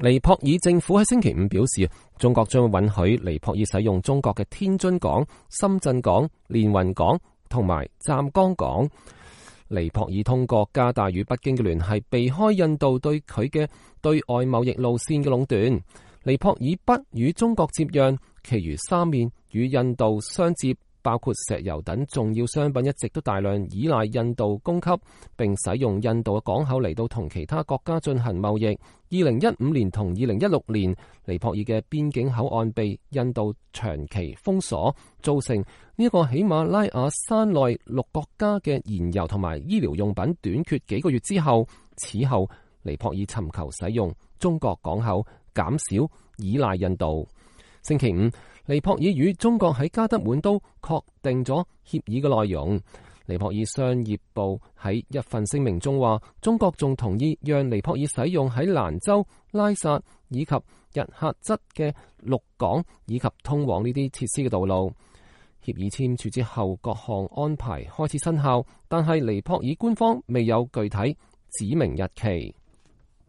尼泊爾政府喺星期五表示，中國將會允許尼泊爾使用中國嘅天津港、深圳港、連雲港同埋湛江港。尼泊爾通過加大與北京嘅聯繫，避開印度對佢嘅對外貿易路線嘅壟斷。尼泊爾北與中國接壤，其餘三面與印度相接，包括石油等重要商品一直都大量依賴印度供給，並使用印度嘅港口嚟到同其他國家進行貿易。2015年同2016年，尼泊爾嘅邊境口岸被印度長期封鎖，造成呢一個喜馬拉雅山內6國家嘅燃油同埋醫療用品短缺幾個月之後，此後尼泊爾尋求使用中國港口，減少依賴印度。星期五，尼泊爾與中國喺加德滿都確定咗協議嘅內容。尼泊爾商業部喺一份聲明中話，中國仲同意讓尼泊爾使用喺蘭州、拉薩以及日喀則嘅陸港以及通往呢啲設施嘅道路。協議簽署之後，各項安排開始生效，但係尼泊爾官方未有具體指明日期。